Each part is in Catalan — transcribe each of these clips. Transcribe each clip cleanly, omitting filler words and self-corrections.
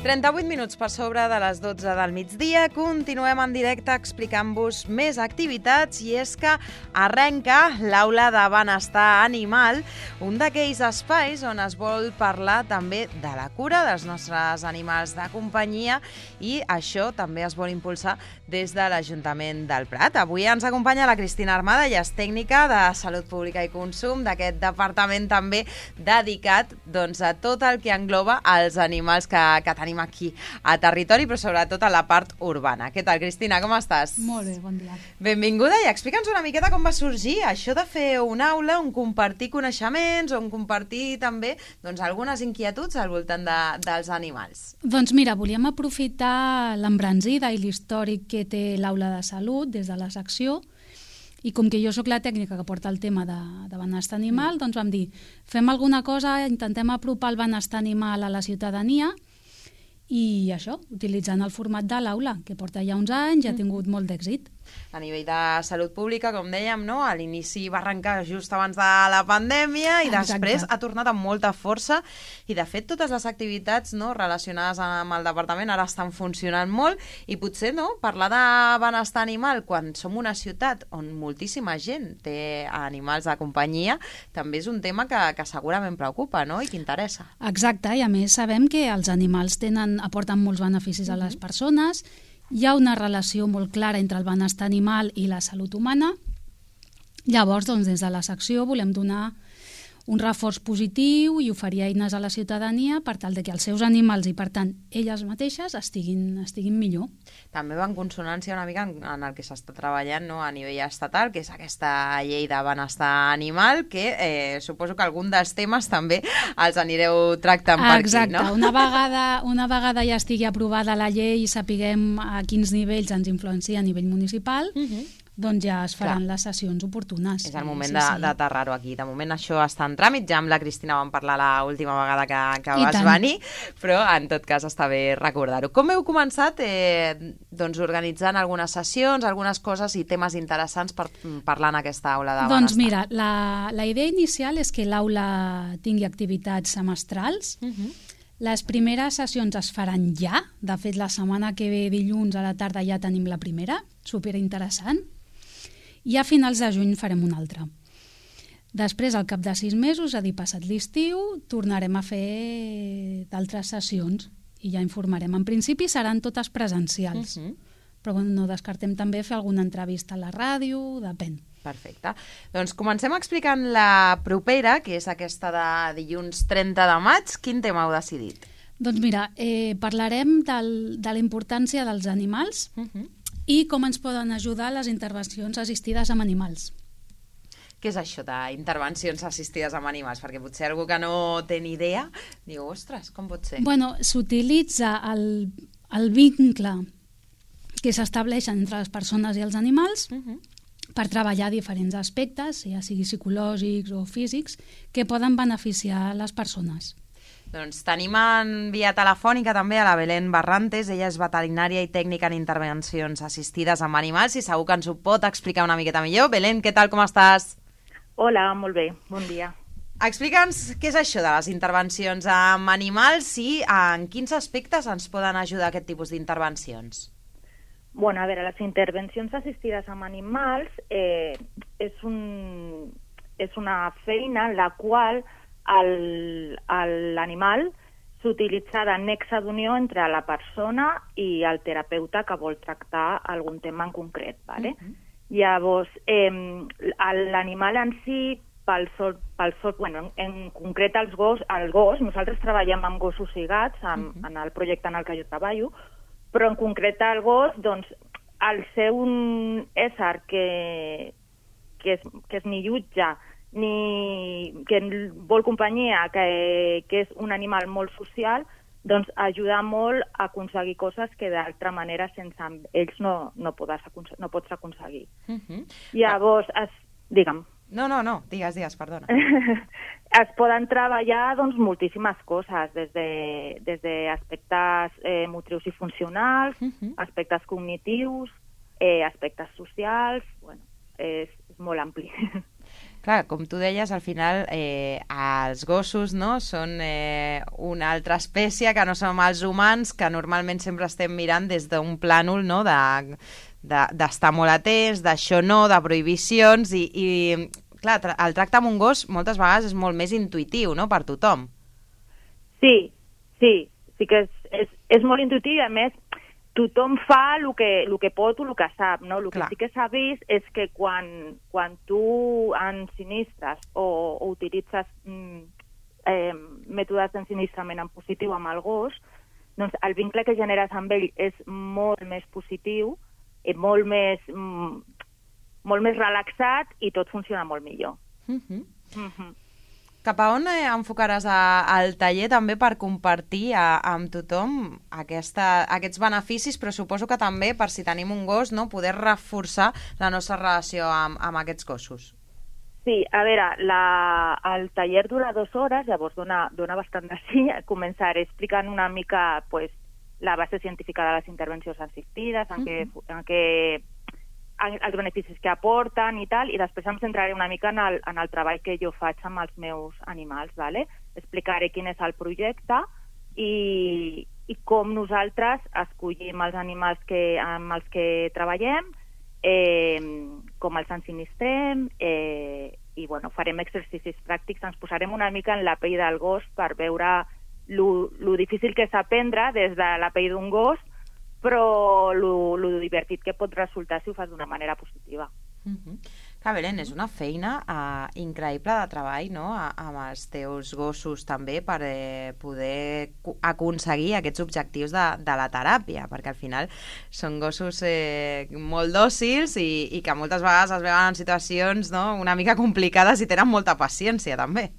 38 minuts per sobre de les 12 del migdia. Continuem en directe explicant-vos més activitats i és que arrenca l'Aula de Benestar Animal, un d'aquells espais on es vol parlar també de la cura dels nostres animals de companyia i això també es vol impulsar des de l'Ajuntament del Prat. Avui ens acompanya la Cristina Armada, ella és tècnica de Salut Pública i Consum d'aquest departament també dedicat a tot el que engloba els animals que tenim aquí a territori, però sobretot a la part urbana. Què tal, Cristina? Com estàs? Molt bé, bon dia. Benvinguda i explica'ns una miqueta com va sorgir això de fer una aula on compartir coneixements, on compartir també algunes inquietuds al voltant dels animals. Doncs mira, volíem aprofitar l'embranzida i l'històric que té l'aula de salut des de la secció i com que jo sóc la tècnica que porta el tema de benestar animal, doncs vam dir, fem alguna cosa, intentem apropar el benestar animal a la ciutadania i això, utilitzant el format de l'aula, que porta ja uns anys i ha tingut molt d'èxit. A nivell de salut pública, com dèiem, no? A l'inici va arrencar just abans de la pandèmia i després ha tornat amb molta força i de fet totes les activitats relacionades amb el departament ara estan funcionant molt i potser parlar de benestar animal quan som una ciutat on moltíssima gent té animals de companyia també és un tema que segurament preocupa, no? I que interessa. Exacte, i a més sabem que els animals aporten molts beneficis a les persones. Hi ha una relació molt clara entre el benestar animal i la salut humana. Llavors, des de la secció volem donar un reforç positiu i oferir eines a la ciutadania per tal que els seus animals i, per tant, elles mateixes estiguin millor. També va en consonància una mica en el que s'està treballant a nivell estatal, que és aquesta llei de benestar animal, que suposo que algun dels temes també els anireu tractant per aquí, no? Exacte. Una vegada ja estigui aprovada la llei i sapiguem a quins nivells ens influencia a nivell municipal, doncs ja es faran les sessions oportunes. És el moment d'aterrar-ho aquí. De moment això està en tràmit, ja amb la Cristina vam parlar l'última vegada que vas venir, però en tot cas està bé recordar-ho. Com heu començat organitzant algunes sessions, algunes coses i temes interessants per parlar en aquesta aula de benestar? Doncs mira, la idea inicial és que l'aula tingui activitats semestrals. Les primeres sessions es faran ja. De fet, la setmana que ve, dilluns a la tarda, ja tenim la primera. Superinteressant. I a finals de juny farem una altra. Després, al cap de 6 mesos, és a dir, passat l'estiu, tornarem a fer d'altres sessions i ja informarem. En principi seran totes presencials, però no descartem també fer alguna entrevista a la ràdio, depèn. Perfecte. Doncs comencem explicant la propera, que és aquesta de dilluns 30 de maig. Quin tema heu decidit? Doncs mira, parlarem de la importància dels animals i com ens poden ajudar les intervencions assistides amb animals. Què és això d'intervencions assistides amb animals? Perquè potser algú que no té ni idea diu, ostres, com pot ser? Bueno, s'utilitza el vincle que s'estableix entre les persones i els animals per treballar diferents aspectes, ja sigui psicològics o físics, que poden beneficiar les persones. Doncs tenim en via telefònica també a la Belén Barrantes, ella és veterinària i tècnica en intervencions assistides amb animals i segur que ens ho pot explicar una miqueta millor. Belén, què tal, com estàs? Hola, molt bé, bon dia. Explica'ns què és això de les intervencions amb animals i en quins aspectes ens poden ajudar aquest tipus d'intervencions. Bueno, a veure, les intervencions assistides amb animals és una feina en la qual l'animal s'utilitza de nexe d'unió entre la persona i el terapeuta que vol tractar algun tema en concret. ¿Vale? Llavors, l'animal en si, en concret el gos, nosaltres treballem amb gossos i gats en el projecte en el que jo treballo, però en concret el gos, doncs, al ser un ésser que es ni jutja ni que vol companyia, que és un animal molt social, doncs ajuda molt a aconseguir coses que d'altra manera sense ells no pots aconseguir. Llavors, digue'm. No, digues, perdona. Es poden treballar moltíssimes coses, des d'aspectes motrius i funcionals, aspectes cognitius, aspectes socials, és molt ampli. Clar, com tu deies, al final els gossos, no, són una altra espècie que no som els humans, que normalment sempre estem mirant des d'un plànol, no, d'estar molt atents, d'això no, de prohibicions, i clar, el tracte amb un gos moltes vegades és molt més intuïtiu, no?, per tothom. Sí que és molt intuïtiu, i a més tothom fa el que pot o el que sap, no? El que sí que s'ha vist és que quan tu ensinistres o utilitzes mètodes d'ensinistrament en positiu amb el gos, doncs el vincle que generes amb ell és molt més positiu, molt més relaxat, i tot funciona molt millor. Cap a on enfocaràs el taller també per compartir amb tothom aquests beneficis, però suposo que també per si tenim un gos, no, poder reforçar la nostra relació amb aquests gossos? Sí, a veure, el taller dura 2 hores, llavors dona bastant de sí. Començaré explicant una mica la base científica de les intervencions assistides, els beneficis que aporten i tal, i després em centraré una mica en el treball que jo faig amb els meus animals, ¿vale? Explicaré quin és el projecte i com nosaltres escollim els animals amb els que treballem, com els ensinistrem, i farem exercicis pràctics, ens posarem una mica en la pell del gos per veure lo difícil que és aprendre des de la pell d'un gos, però lo divertit que pot resultar si ho fas d'una manera positiva. Clar, Belén, és una feina increïble de treball, no?, amb els teus gossos també, per poder aconseguir aquests objectius de la teràpia, perquè al final són gossos molt dòcils i que moltes vegades es veuen en situacions, no?, una mica complicades, i tenen molta paciència també.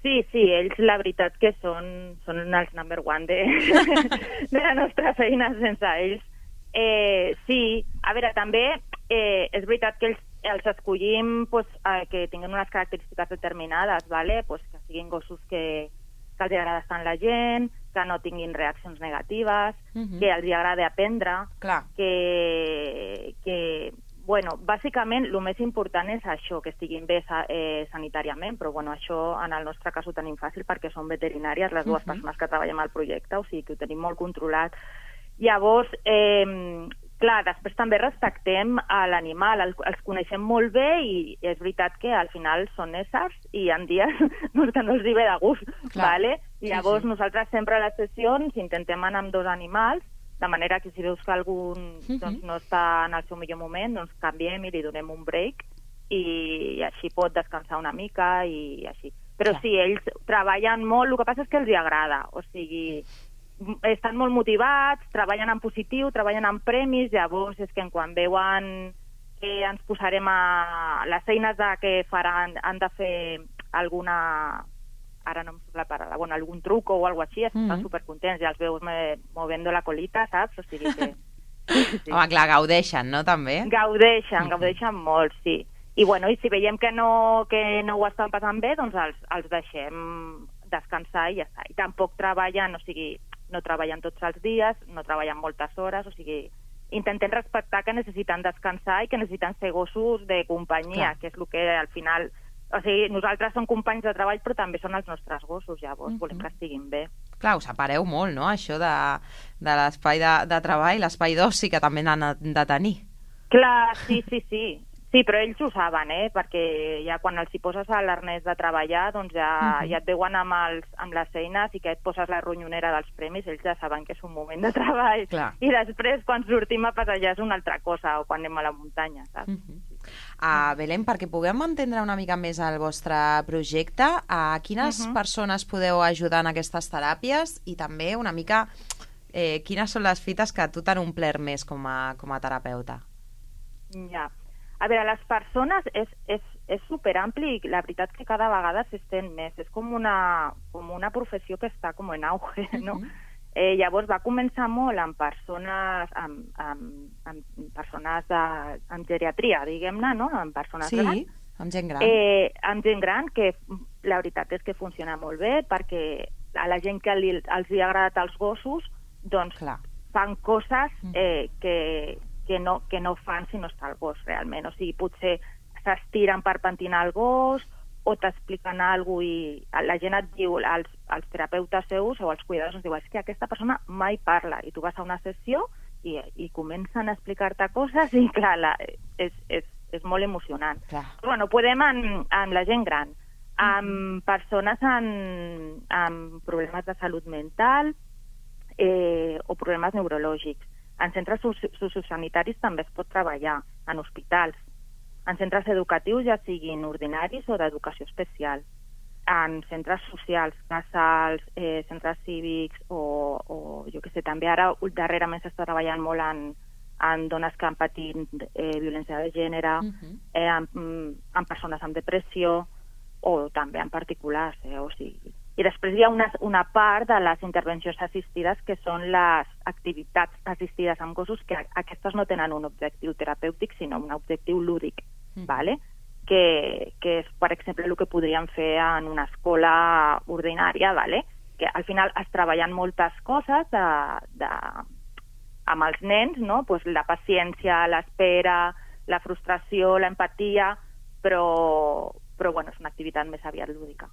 Sí, ells la veritat que són els number one de la nostra feina sense ells. Sí, a veure, també és veritat que els escollim que tinguin unes característiques determinades, ¿vale? Que siguin gossos que els agrada estar amb la gent, que no tinguin reaccions negatives, que els agrada aprendre, que bàsicament el més important és això, que estiguin bé sanitàriament, però això en el nostre cas ho tenim fàcil perquè som veterinàries, les dues persones que treballem al projecte, o sigui que ho tenim molt controlat. Llavors, clar, després també respectem l'animal, els coneixem molt bé, i és veritat que al final són éssers i en dies que no els hi ve de gust, ¿vale? Llavors nosaltres sempre a les sessions intentem anar amb 2 animals, de manera que si veus que algun no està en el seu millor moment, doncs canviem i li donem un break, i així pot descansar una mica i així. Però sí, ells treballen molt, el que passa és que els hi agrada, o sigui, estan molt motivats, treballen en positiu, treballen en premis, llavors és que quan veuen que ens posarem a les eines que faran, han de fer alguna... ara no em surt la paraula, algun truc o alguna cosa així, estan supercontents, ja els veus moviendo la colita, saps? O sigui que... Sí. Home, clar, gaudeixen, no, també? Gaudeixen molt, sí. I si veiem que no ho estan passant bé, doncs els deixem descansar i ja està. I tampoc treballen, o sigui, no treballen tots els dies, no treballen moltes hores, o sigui, intentem respectar que necessiten descansar i que necessiten ser gossos de companyia, que és el que al final... O sigui, nosaltres som companys de treball, però també són els nostres gossos, llavors volem que estiguin bé. Clar, us separeu molt, no?, això de l'espai de treball, l'espai d'oci que també n'han de tenir. Clar, sí. Sí, però ells ho saben, perquè ja quan els hi poses a l'arnès de treballar, doncs ja et veuen amb les eines, i que et poses la ronyonera dels premis, ells ja saben que és un moment de treball. Clar. I després, quan sortim a passejar, és una altra cosa, o quan anem a la muntanya, saps? Belén, perquè puguem entendre una mica més el vostre projecte, a quines persones podeu ajudar en aquestes teràpies, i també una mica quines són les fites que tu t'han omplert més com a terapeuta? Ja. A veure, les persones és superampli, i la veritat que cada vegada s'estén més. És com una professió que està com en auge, no? Llavors va començar molt amb persones amb geriatria, diguem-ne, no? Amb persones grans. Sí, amb gent gran. Amb gent gran, que la veritat és que funciona molt bé, perquè a la gent que els hi ha agradat els gossos, doncs fan coses que no fan si no està el gos, realment. O sigui, potser s'estiren per pentinar el gos, o t'expliquen alguna cosa i la gent et diu, els terapeutes seus o els cuidadors ens diuen, és que aquesta persona mai parla, i tu vas a una sessió i comencen a explicar-te coses i clar, és molt emocionant. Clar. Però bueno, podem amb la gent gran, amb persones amb problemes de salut mental o problemes neurològics. En centres sociosanitaris també es pot treballar, en hospitals, en centres educatius, ja siguin ordinaris o d'educació especial, en centres socials, casals, centres cívics o jo què sé, també ara darrerament s'està treballant molt en dones que han patit violència de gènere, en persones amb depressió o també en particulars, o sigui. I després hi ha una part de les intervencions assistides que són les activitats assistides amb gossos, que aquestes no tenen un objectiu terapèutic, sinó un objectiu lúdic, ¿vale? Que és, per exemple, el que podríem fer en una escola ordinària, ¿vale? Que al final es treballen moltes coses amb els nens, no? Pues la paciència, l'espera, la frustració, l'empatia, però bueno, és una activitat més aviat lúdica.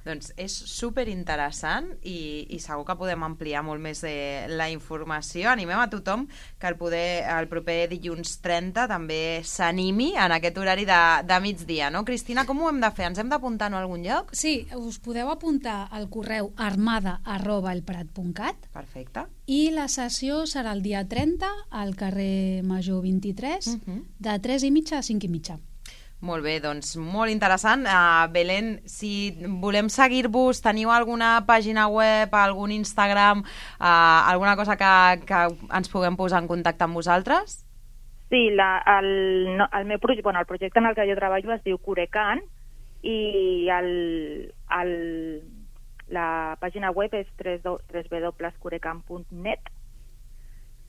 Doncs és superinteressant i segur que podem ampliar molt més la informació. Animem a tothom que el proper dilluns 30 també s'animi en aquest horari de migdia, no? Cristina, com ho hem de fer? Ens hem d'apuntar en algun lloc? Sí, us podeu apuntar al correu armada@elprat.cat. Perfecte. I la sessió serà el dia 30 al carrer Major 23, de 3:30 a 5:30. Molt bé, doncs molt interessant. Belén, si volem seguir-vos, teniu alguna pàgina web, algun Instagram, alguna cosa que ens puguem posar en contacte amb vosaltres? Sí, el meu projecte, el projecte en el que jo treballo es diu Curecan i la pàgina web és www.curecan.net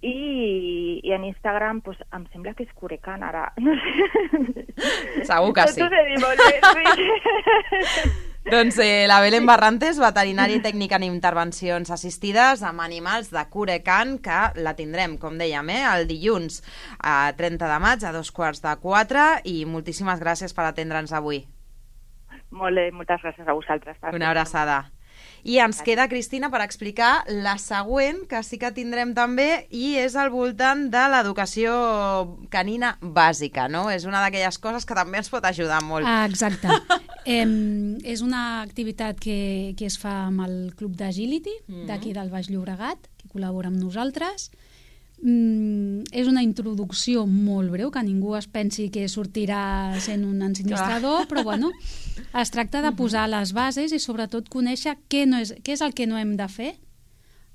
i en Instagram pues, em sembla que és Curecan ara. No sé. Segur que sí. No t'ho sé dir molt bé, sí. Doncs la Belén Barrantes, veterinària i tècnica en intervencions assistides amb animals de Curecan, que la tindrem, com dèiem, el dilluns 30 de maig a 3:45 i moltíssimes gràcies per atendre'ns avui. Molt bé, moltes gràcies a vosaltres. Una abraçada. I ens queda, Cristina, per explicar la següent, que sí que tindrem també, i és al voltant de l'educació canina bàsica, no? És una d'aquelles coses que també ens pot ajudar molt. Exacte. És una activitat que es fa amb el Club d'Agility, d'aquí del Baix Llobregat, que col·labora amb nosaltres. És una introducció molt breu, que ningú es pensi que sortirà sent un ensinistrador, però bueno, es tracta de posar les bases i sobretot conèixer què és el que no hem de fer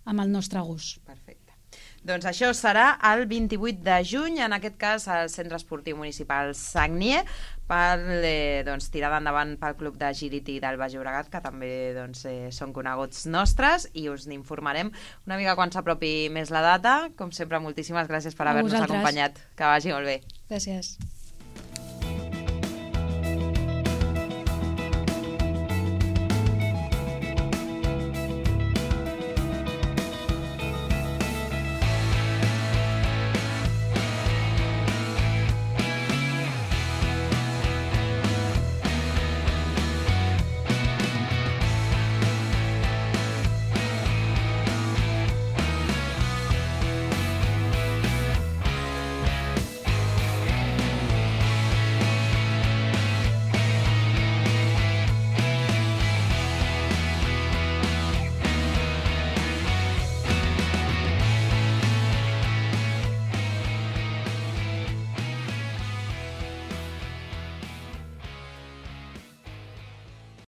amb el nostre gos. Perfecte. Doncs això serà el 28 de juny, en aquest cas al Centre Esportiu Municipal Sagnier, per tirada endavant pel Club d'Agility del Baix Llobregat, que també són coneguts nostres, i us n'informarem una mica quan s'apropi més la data. Com sempre, moltíssimes gràcies per haver-nos acompanyat. Que vagi molt bé. Gràcies.